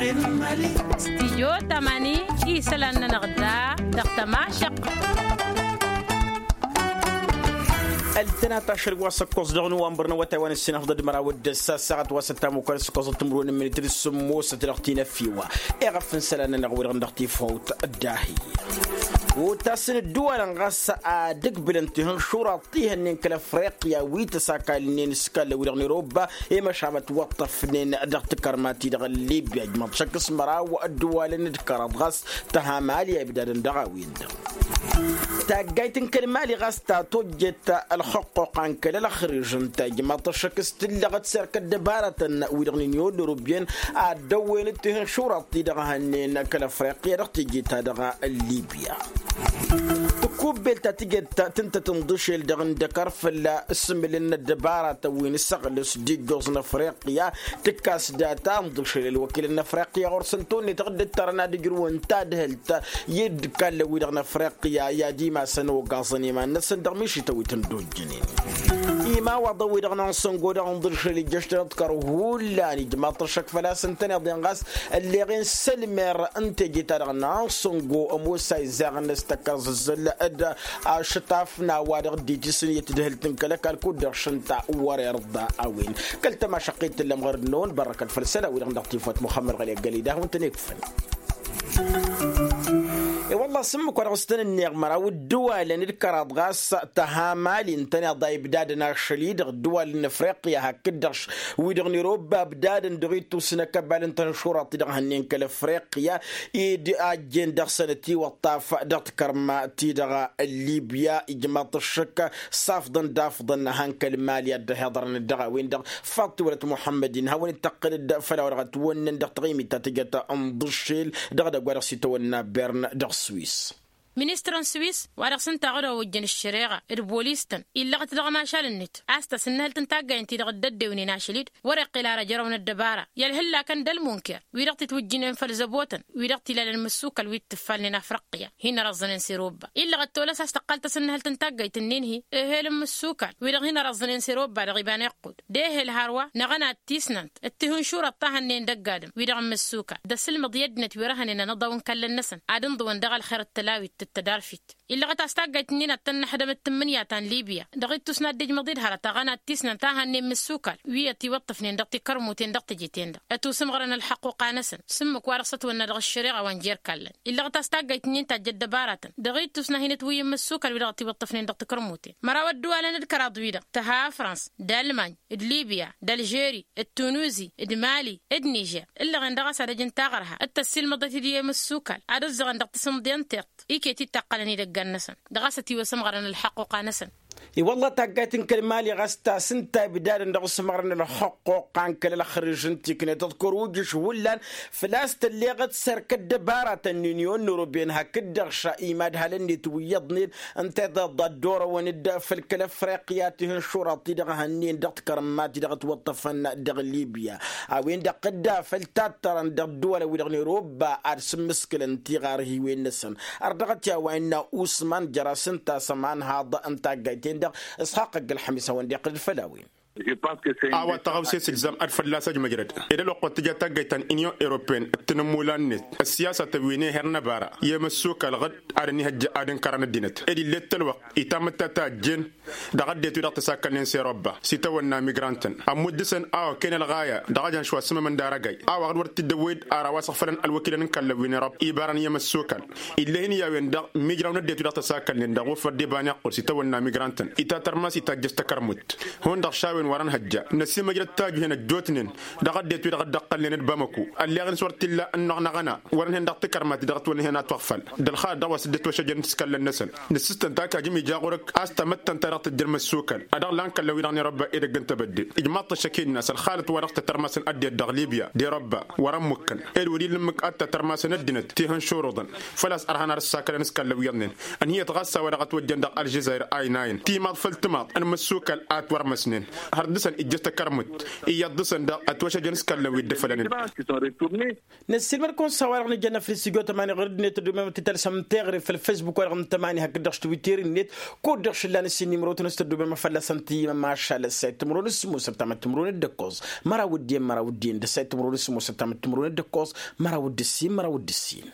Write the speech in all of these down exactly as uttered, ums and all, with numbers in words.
Stijyo tamani isălan-nănăɣ da dăɣ-tămašăq. Ăltănat ašăl wa s-ăkkoẓ dăɣ-năwănbăr n-awătay wa n-ǝssin afḍăd măraw d-ăssa ăssaɣăt wa s-ăttam okăl s-ǝkkoẓăt timǝrwen n-minitri s-sǝmmosăt dăɣ-tinăffiwa. Iɣăf n-isălan-nănăɣ wi-dăɣ dăɣ-tifawt ăddahǝy otasǝn ădduwalăn ɣas ad-ǝgbǝlăn tihǝnšuraḍ tihănnen kăl-afriqya wi tăsakalnen s-kall-wi-dăɣ n-eroba. I-măšan ătwăṭṭăfnen dăɣ-tikărma-ti-dăɣ n-libya ǝjmăḍ šăkk s-măraw ădduwalăn d-kăraḍ ɣas tăha mali a ibdadăn dăɣ-a-wen-dăɣ. Taggayt n-kăl-mali ɣas ta tojjet ălxăqqoqan kăl-ălxrǝžăn ta ijmaḍ-t ăššăk s-tǝllăɣăt serk ăddăbarătăn wi-dăɣ n-inyon n-urubyen ad-dăwwen d-tihǝnšuraḍ-ti-dăɣ hănnen kăl-afriqya dăɣ-teje-ta-dăɣ n-libya. Tǝkkubbel ta tǝjăt tǝntăt ǝnḍǝšel dăɣ-indăkăr fălla-s ǝssǝmǝlăn n-ăddăbaratăn wi n-isăɣlǝs d-ijjoẓ n-afriqya. Tǝkkas data ǝnḍǝšel ălwăkilăn n-afriqya ɣur-săn tawănne tăɣ-dd-ǝttărăn ad-ǝjrǝwăn tadhǝlt i-dd-kallăn-wi-dăɣ n-afriqya i-ad-imasăn ogaẓăn iman-năsăn dăɣ-mišităn wi tăn-dd-ojjănen. Imawaḍăn-wi-dăɣ n-ansăngo dăɣ-inḍǝšel ijjăš-tăn ad-t-kăr hullan ijmaḍ-t ăššăk făl-a-s ǝntăneḍ-en ɣas ălleɣen sălmer n-teje-ta-dăɣ n-ansăngo ămoos a izzaɣăn s-tăkkăẓ ǝzzăl d-ašătaf n-a-wa-dăɣ dd-itisǝn i-tǝdhǝlt n-kăl-ăkall kud-dăɣ šăn ta wăr-irḍa a-wen. Kăl-tămašăqqit tǝllăm ɣărăt-năwăn bărrăkăt făll-isălan-wi-dăɣ dăɣ-tifawt muxămmăd ɣăli ăggălăy d-ad-hawăn-tăn-ikfăn. I-wălla s-ǝmmǝk wa dăɣ-s tăn-ǝnneɣ măraw ǝddǝwalăn d-kăraḍ ɣas tăha mali ǝntăneḍ a ibdadăn ašăl-i-dăɣ ǝddǝwalăn n-afriqya hakd-dăɣ wi-dăɣ n-irobba ǝbdadăn dăɣ-ittus n-akăbal n-tănšuraḍ-ti-dăɣ hănnen kăl-afriqya. Ed ajjen dăɣ-săn ătiwăṭṭaf dăɣ-tikărma-ti-dăɣ n-libya ijmaḍ-t ăššăk s-afḍăn d-afḍăn han kăl-mali ad-dd-ăhiḍărăn dăɣ-a-wen-dăɣ. Faḍ tiwălăt muḥămmăd-in hawăn-dd-tăqqǝlăd făll-a-wa dăɣ-ătwănnăn dăɣ-taɣimit ta tǝjăt ǝnḍǝššel dăɣ-edăgg wa dăɣ-s itawănna bern dăɣ-swis. Ministăr n-swis wa dăɣ-s ǝnta a ăɣăd wa ojjăn ăššăreɣa d-bolis-tăn illăɣăt dăɣ-ămašal-net a-s tasǝnnăhălt n-taggayt-ti-dăɣ dd-ăddewnen ašăl-dd wăr-iqqǝl ar ăjrăw n-ăddăbara i-ălhǝllakăn d-ălmunker wi-dăɣ titwǝjjǝnen făll-zăbotăn wi-dăɣ t-ilalăn mǝssukal wi t-tǝffalnen afriqya. Hin-ărăẓẓănen s-erobba illăɣăt tolăs a-s tăqqal tasǝnnăhălt n-taggayt-nin-hi ehel n-mǝssukal wi-dăɣ hin-ărăẓẓănen s-erobba dăɣ-iba n-iqqud d-ehel hărwa n-aɣăna d-tisnant d-tihǝnšurăḍ ta hănnen d-ăgg-adǝm wi-dăɣ n-mǝssukal d-asǝlmăḍ i-ăddinăt wi ărhănen anăḍaw n-ikallăn-năsăn ad-ǝnḍǝwăn dăɣ-ălxer d-tălawit d-tădarfit. Illăɣăt a-s taggayt-nin ad-tăn-năḥdămăt tǝmmǝnǝya ta n-libya dăɣ-ittus n-ad-dd-ijmăḍ-dd hărăt aɣăna d-tisnant a hănnen mǝssukal wi ătiwăṭṭăfnen dăɣ-tikărmuten dăɣ-teje-ten-dăɣ ătusǝmɣărăn ălxăqquqa-năsăn s-ǝmmǝk wa dăɣ-s ătwănna dăɣ-ăššăreɣa wa n-jer-ikallăn. Illăɣăt a-s taggayt-nin tajj ăddăbaratăn dăɣ-ittus n-ad-hin-ătwǝyyǝn mǝssukal wi-dăɣ ătiwăṭṭăfnen dăɣ-tikărmuten măraw ădduwalăn d-kăraḍ-wi-dăɣ tăha frans d-almany d-libya d-tunǝzi d-mali d-nižer ǝllăɣen dăɣ-s ad-ăj ǝnta aɣărha d-tăssiilmăḍăt-dd i-imǝssukal ad-ǝzzăɣăn dăɣ-tisǝmḍe n-tiṭṭ iket-dd taqqălăn idăggan-năsăn dăɣ-a-s ătiwăsămɣărăn ălxăqquqa-năsăn. I-wălla taggayt n-kăl-mali ɣas tasǝnta ibdadăn dăɣ-asǝmɣărăn ălxăqquqa n-kăl-ălxrǝž n-tiknet ăḍkăr ujǝš hullan făl-a-s tălleɣăt s-erk ăddăbaratăn n-inyon n-urubyen hakd-dăɣ šăimad halăn-net wi iyyăḍnen ǝnta i-dd-ăḍḍa dd-orăwăn-dd făll-kăl-afriqya tihǝnšuraḍ-ti-dăɣ hănnen dăɣ-tikărma-ti-dăɣ ătwăṭṭăfăn dăɣ-libya. A-wen-dăɣ dd-afăl tattărăn dăɣ-ădduwalăn-wi-dăɣ n-erobba ad-sǝmmǝskǝlăn tiɣarhiwen-năsăn. Ărdăɣăt i-a-wa innă usman jăr-as ǝnta a-s ămanhaḍ n-taggayt-en-dăɣ. Isxaqq ăgg-ălxămis a-wen-dd-iqqǝl-dd făll-a-wen. A-wa tăɣawse s-ilzam ad-fălla-s ăjmăjrăd ed ălwăqq wa t-tǝja taggayt ta n-inyon europeyăn d-tinǝmmulan-net ăssiyasatăn wi n-ehăr n-ăbara i-emăssukal ɣǝd ad-ănihăjja ad-ǝnkărăn ăddinăt ed ill'-e t-ălwăqq itamǝtta ta ăjjeen dăɣ-ăddinăt wi-dăɣ tăsakkălnen s-erobba s-itawănna migrant-tăn ămmudd dăɣ-săn a-wa ken ălɣaya dăɣ-ajăn šwa s-imămăndar ăgay a-wa ɣǝd wăr t-dd-ăwwăy-dd ar a-wa s-ǝɣfălăn ălwăkilăn n-kallăn wi n-erobba ibarăn i-emăssukal. Ill'-e hin-i a-wen dăɣ-mijraw n-ăddinăt wi-dăɣ tăsakkălnen dăɣ-wăfăr d-iba n-iqqud s-itawănna migrant-tăn itatărmas itajjăš takărmut hundăɣ šawen wăr-ănhăjja năsimăjrăd tajuhen ăjjootnen dăɣ-ăddinăt wi-dăɣ dd-ăqqălnen d-bamăku. Ălleɣ-in s-wăr t-illa ănnuɣ n-aɣăna wăr-ănhen dăɣ-tikărmat-i dăɣ-ătwănnăhen a tiɣfăl d-ălxalăt dăɣ-wa s-dd-ătwăšăjjăn s-kallăn-năsăn. Nǝssǝstăn takajăm ija ɣur-ǝkk a-s tamăttăn ta dăɣ-tǝjjăn măssukal a dăɣ-lan kallăn-wi-dăɣ n-erobba edăgg n-tebădde. Ijmaḍ-t ăššăk-in-năs ălxalăt wa dăɣ-tătărmasăn ăddinăt dăɣ-libya d-erobba wăr-ămmukăn ed wăr-illa ǝmmǝk ad-tătărmasăn ăddinăt tihǝnšuruḍăn. Făl-a-s ărhan ar ǝssakălăn s-kallăn wi iyyăḍnen ǝnhǝyăt ɣas a-wa dăɣ-ătwăjjăn dăɣ-ălžăzayr aynayen timaḍ făll-timaḍ n-imǝssukal a ătwărmăsnen. Har dăɣ-săn ijjăš takărmut iyyăḍ dăɣ-săn dăɣ-ătwăšăjăn s-kăllăn wi dd-ăfălănăn. Năssiilmăd-kăwăn s-a-wa-dăɣ nǝjjăn afris ijotămani ɣur-dd-net ăddoobem ad-t-tălsăm teɣre făll-facebook wa-dăɣ n-tămani hakd-dăɣ s-twitter-net. Kud-dăɣ šǝllan ǝssin n-imrotăn s-tăddoobem a fălla-săn tǝyyǝmăm ašal ăssayăt timǝrwen s-sǝmmosăt tamăt timǝrwen d-ǝkkoẓ măraw d-iyyăn măraw d-iyyăn d-ăssayăt timǝrwen s-sǝmmosăt tamăt timǝrwen d-ǝkkoẓ măraw d-ǝssin măraw d-ǝssin.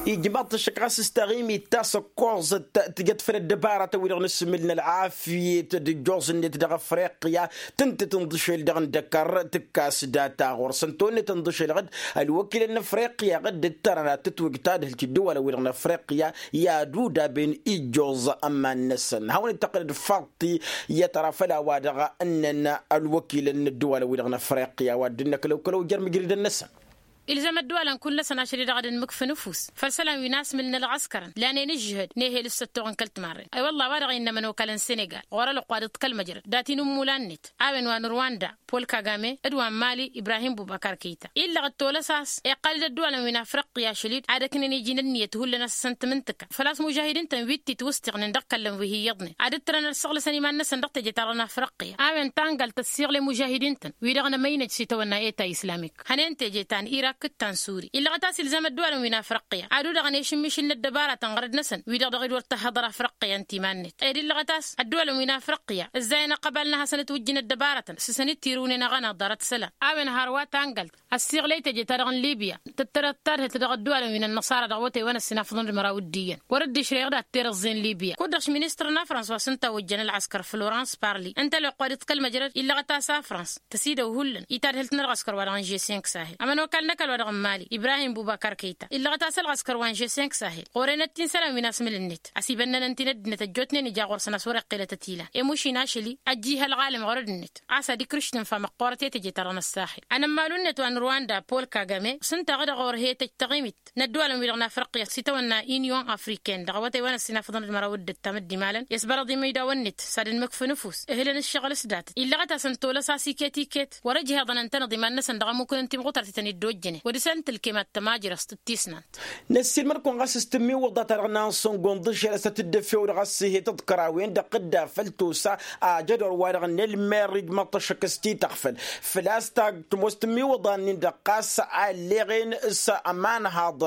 Ijmaḍ-t ăššăk ɣas s-taɣimit ta s-ǝkkoẓăt tǝjăt făll-ăddăbaratăn-wi-dăɣ n-asǝmmǝl n-ălɣafyăt d-ǝjjoẓ-net dăɣ-afriqya. Tǝnta tǝnḍǝšel dăɣ-indăkăr tǝkkas data ɣur-săn tawănnet ǝnḍǝšel ɣǝd ălwăkilăn n-afriqya ɣǝd dd-tărăna tǝtwǝj tadhǝlt i-ǝddǝwalăn-wi-dăɣ n-afriqya i-ad-udaben ijjoẓ ămman-năsăn hawăn-dd-tăqqǝlăd faḍt-i i-ad-tăra făll-a-wa-dăɣ ǝnnăn ălwăkilăn n-ǝddǝwalăn-wi-dăɣ n-afriqya wa dd-innăkălăw kălăw jer-mǝjridăn-năsăn. Ilzăm ădduwalăn kull-năsăn ašăl-i-dăɣ ad-ǝnmǝkf ǝnǝfus făll-isălan wi n-asmǝl n-ălɣăskărăn lanen ǝžžǝhăd n-ehel s-săttoɣ n-kăl-timarren. Ay wălla a-wa dăɣ-innă ămănokal n-senegal ɣur-ălwăqq wa dd-ǝḍkăl măjrăd dat-inǝmmulan-net a-wen wa n-rwanda pol kagame d-wa n-mali ibrahim bubakar kăyta illăɣ d-tolăs a-s iqqal-dd ădduwalăn wi n-afriqya ašăl-dd ad-ǝknen iji n-ǝnniyăt hullan a-s ǝssǝntǝm n-tǝkka făl-a-s mužahidin-tăn wi t-itwǝstiɣnen dăɣ-kăllăn wi hi-iyyăḍnen ad-dd-tărăn ălsăɣlăsăn iman-năsăn dăɣ-teje-ta-dăɣ n-afriqya a-wen tangalt ăssiɣlăy mužahidin-tăn wi-dăɣ n-emăynăj s-itawănna eta islamik hănen teje ta n-irak d-ta n-suri illăɣăt a-s ilzam ădduwalăn wi n-afriqya ad-udăɣăn i-išǝmmišǝl n-ăddăbaratăn ɣărăd-năsăn wi-dăɣ dăɣ-dd-wăr tăhhăḍăr afriqya ǝnta iman-net ed illăɣăt a-s ădduwalăn wi n-afriqya ǝzzayăn ăqqăbal n-ad-hasăn-ǝtwǝjjǝn ăddăbaratăn s-săn-dd tirǝwnen aɣănaḍ ḍarăt isălan a-wen hărwa tangalt ăssiɣlăy teje-ta-dăɣ n-libya tǝttărăt tadhǝlt dăɣ-ădduwalăn wi n-ănnăṣara dăɣ-awătay wa n-ăssinafăḍăn d-măraw d-iyyăn wăr-dd-išrăyăɣ dat-terăẓẓe n-libya kud-dăɣ š-ministăr n-afrans wa s-ǝnta a ojjăn ălɣăskăr florans parli ǝnta ălwăqq wa dd-tǝkkăl măjrăd illăɣăt a-s afrans tăsidăw hullan i-tadhǝlt n-ălɣăskăr wa dăɣ-n žesink sahil ămănokal n-ăkall wa dăɣ-n mali ibrahim bubakar kăyta illăɣăt a-s ălɣăskăr wa n-žesink sahil ɣur-enăt-t-in isălan wi n-asmǝl-net ăsibănnăn ǝnta-in ăddinăt ăjjootnen ija ɣur-săn a-s wăr-iqqelătăt ilan i-mušin ašăl-i ăjjih ălɣalăm ɣur-ăddinăt a-s ad-ikrǝš tǝnfa măqqoorăt i-teje-ta-dăɣ n-ăssaxil ănămmalu-net wa n-rwanda pol kagame s-ǝnta a ɣǝd-dăɣ ɣur-he-tăj taɣimit n-ădduwalăn-wi-dăɣ n-afriqya s-itawănna inyon afriken dăɣ-awătay wa n-ăssinafăḍăn d-măraw d-ǝttam dd-imalăn i-ăsbărăḍ imăydawen-net s-ad-ǝnmǝkf ǝnǝfus ehǝlăn ǝššăɣǝl s-datăt illăɣăt-asăn tolăs a-s iket-iket wăr-ǝjheḍăn ǝntănăḍ iman-năsăn dăɣ-ămmukǝn n-timɣutărt-tăn-dd-ojjănen wa dăɣ-săn tǝlkemat tămajrăst d-tisnant. Năssiilmăd-kăwăn ɣas s-tǝmmiwǝḍa-ta-dăɣ n-ansăngo n-iḍǝšel a-s tăt-dd-efew dăɣ-ăssihăy tǝḍkărawen dăɣ-tǝdda făll-tosa ajădor-wa-dăɣ n-ălmer ijmăḍ-t ăššăk s-tităɣfăl făl-a-s tag tămoos tǝmmiwǝḍa-nin-dăɣ ɣas a ălleɣen s-ămanhaḍ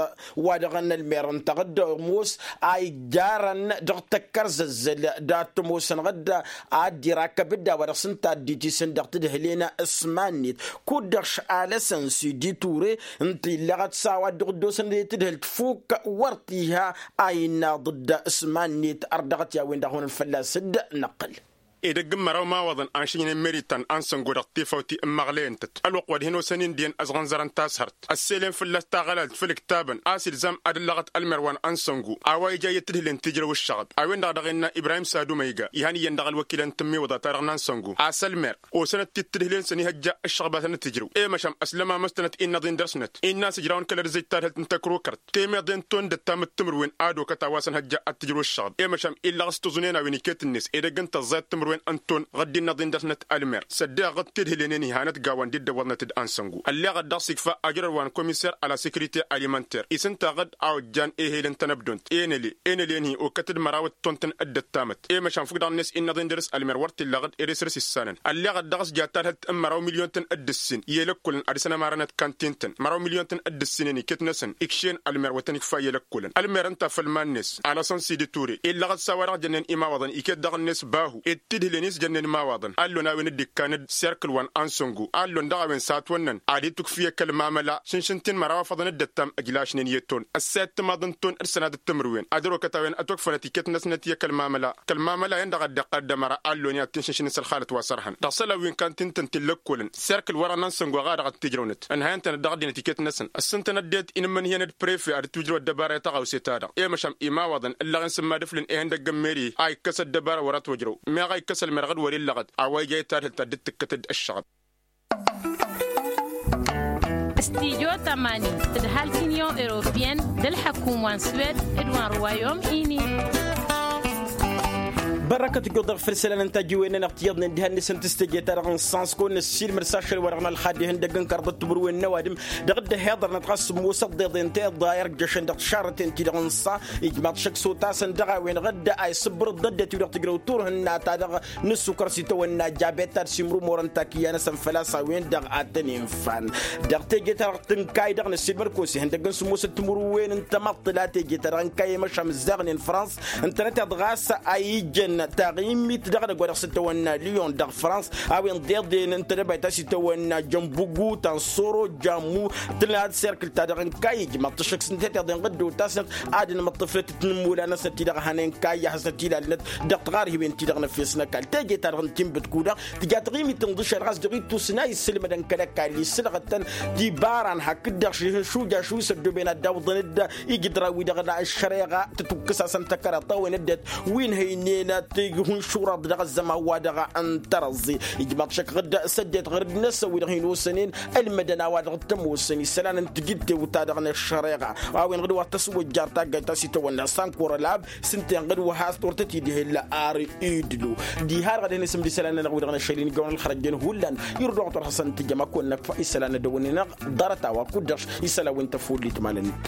wa-dăɣ n-ălmer ǝnta ɣǝd-ămoos a ijjarăn dăɣ-tăkkărzăzzăl dat-ămoosăn ɣǝd ad-dd-irakăb dd-a-wa dăɣ-s ǝnta a dd-itisǝn dăɣ-tǝdhǝlen s-iman-net kud-dăɣ š-alăsăn s-iditure ǝnta illăɣăt s-a-wa dd-ăɣ-dd-osăn i-tǝdhǝlt fuk wăr t-iha a innaḍ dd-s iman-net ărdăɣăt i-a-wen-dăɣ hunăn fălla-s dd-năqqǝl. Edăgg n-măraw imawaḍăn a n-šǝjnen meritan ansăngo dăɣ-tifawt ti n-imăɣleyăn-tăt ălwăqq wa d-hin-osăn indiyăn ăẓɣănẓărăn tashărt ăsselen fălla-s taɣălalt făll-ǝktabăn a-s ilzam ad-ǝllăɣăt ălmer wa n-ansăngo a-wa ija iyyăt tǝdhǝlen tijrăw ǝššăɣăb a-wen-dăɣ a dăɣ-innă ibrahim sadumăyga ihăn iyyăn dăɣ-ălwăkilăn n-tǝmmiwǝḍa-ta-dăɣ n-ansăngo a-s ălmer osăn-dd-t-dd-tǝdhǝlen s-ănihăjja ǝššăɣăb a tăn-tǝjrǝw i-măšan ăslămamăs-tănăt innăḍ-in dăr-snăt innă a-s ǝjrawăn kăl-ărzăj tadhǝlt n-tăkrukărt temeḍe n-tondăt ta mǝttǝmǝrwen ad-okăt a-wa s-ănhăjja ad-tǝjrǝw ǝššăɣăb i-măšan illăɣ s-tǝẓunen a-wen iket-net edăgg n-tăẓẓayăt timǝrwen n-ton ɣǝdd-innăḍ-in dăr-snăt ălmer s-ăddeɣăɣ-dd tidhǝlenen ihanăt gawan d-dd-ăwwăḍnăt d-ansăngo ălleɣăt dăɣ-s ikfa ajrăr wa n-komiser a la sekirite alimanter-i s-ǝnta ɣǝd a ojjan ehel n-tănăbdont enăle enăle-ni okăt d-măraw d-tont n-dd-ăttamăt i-măšan fuk dăɣ-net innăḍ-in dăr-s ălmer wăr t-illa ɣǝd ed asrǝs issanăn ălleɣăt dăɣ-s ja tadhǝlt n-măraw milyon-tăn d-ǝssin i-elăkkolăn ad-dăr-săn ămarănăt kantin-tăn măraw milyon-tăn d-ǝssinen iket-năsăn ikšen ălmer wa tăn-ikfa i-elăkkolăn ălmer ǝnta făll-iman-net alăsăn sidi ture illăɣăt s-a-wa-dăɣ jănnen imawaḍăn iket dăɣ-net bahu ed tidhǝlen-i s-jănnen imawaḍăn a ǝllon a-wen dd-ikkan d-serkǝl wa n-ansăngo a ǝllon dăɣ-a-wen s-a ătwănnăn ad-itukf i-kăl-mamăla šǝnšǝn-t-in măraw afăḍăn dd-ăttam ǝjlašnen i-ton ăssayăt timaḍ n-ton d-sănadăt timǝrwen ad-ărokăt a-wen ătwăkfănăt iket-năsnăt i-kăl-mamăla kăl-mamăla-en-dăɣ a dd-iqqăl d-ămăra a ǝllonyăn ad-t-inšǝnšǝnǝs ălxalăt wa s-ărhăn dăɣ-isălan wi n-kantin-tăn ti n-lăkkolăn serkǝl wăren n-ansăngo a dăɣ-t-ǝjrăwnăt ǝnhăyăn-tănăt dăɣ-ăddinăt iket-năsăn ăssintăn ăddinăt inǝmmǝnhǝyăn d-prefe ad-dd-tǝwǝjrăw ăddăbara i-tăɣawse-ta-dăɣ i-măšan imawaḍăn ǝllăɣen s-ǝmmadǝflǝn ehăndăgg n-meri a ikkăs ăddăbara wăr-ătwăjrăw meɣ a ikkăs ălmerɣ d-wăr-illăɣăt a-wa ija i-tadhǝlt ta dd-tǝkkăt d-ǝššăɣăb. Studyo tămani tǝdhal t-inyon europeyăn d-ălḥăkum wa n-swed d-wa n-rwayom ini. Bărrăkăt ǝjjuḍ-dăɣ făll-isălan n-tajiwen-nănăɣ tiyyăḍnen diha-net s-ǝntǝs teje-ta-dăɣ n-sansko năssiilmăr s-ašăl-wa-dăɣ n-ălxad ihăndăgg n-karḍăt timǝrwen n-ăwadǝm dăɣ-dd-ăhiḍărnăt ɣas sǝmmosăt deḍen tiḍa irjăšăn dăɣ-tišarrăten-ti-dăɣ n-sa. Ijmaḍ šăkk s-otasăn dăɣ-a-wen-dăɣ dd-a isǝbbărǝḍ ăddinăt-wi-dăɣ tǝjrăw turhǝnna-ta-dăɣ n-ǝssukăr s-itawănna jabet ta d-simrǝmorăn takǝyya-năsăn făl-a-s a-wen-dăɣ a tăn-infan. Dăɣ-teje-ta-dăɣ tǝnkay dăɣ-năssiilmăr-kăwăs ihăndăgg n-sǝmmosăt timǝrwen n-tamăḍt tǝla teje-ta-dăɣ ǝnkayy i-măšan mǝzzaɣnen frans ǝntănăteḍ ɣas a ijăn taɣimit dăɣ-edăgg wa dăɣ-s itawănna lion dăɣ-frans a-wen deḍen n-tedăbayt a-s itawănna jănbugu tansoro jammu tǝla d-serkǝl-ta-dăɣ ǝnkayy ijmaḍ-t ăššăk s-ǝnta teḍen ɣǝddow tasnăt ad-ănmăṭṭăfnăt tinǝmmulan-năsnăt-ti-dăɣ hănen kayya hasnăt ilalnăt dăɣ-tiɣarhiwen-ti-dăɣ n-efes n-ăkall teje-ta-dăɣ n-tinbǝt kud-dăɣ tǝja taɣimit n-iḍǝššal ɣas dăɣ-ittus n-a isǝlmădăn kăl-ăkall isǝlɣăt-tăn tibaran hakd-dăɣ šujaš wi s-ăddooben ad-dd-awǝḍăn-dd ijǝdran-wi-dăɣ n-ăššăreɣa tǝtukkǝs-asăn tăkăraḍt a-wen ăddinăt wi n-hăynen tihunšuraḍ dăɣ-ăzzăman-wa-dăɣ n-tărăẓẓe. Ijmaḍ šăkk ɣǝd s-ăddinăt ɣǝrǝd-năsăn wi-dăɣ hin-osănen ălmădăn a-wa-dăɣ t-ămoosăn isălan n-tijǝttew-ta-dăɣ n-ăššăreɣa a-wen ɣǝd wa t-ăswăjjar taggajt ta s-itawănna sankor ălab s-ǝnta inɣǝd wa has-t wăr tăt-dd-ihǝlla ar idlu. Diha-dăɣ ad-hin-isǝm d-isălan-nănăɣ wi-dăɣ n-ašăl-in ijawăn ălxărăjjăn hullan irduɣ-t wăr hasăn-tǝjăm ad-kăwăn-năkfa isălan n-ad-dăwănne-năɣ ḍarăt a-wa kud-dăɣ isălan wi n-tăfullit malăn-dd.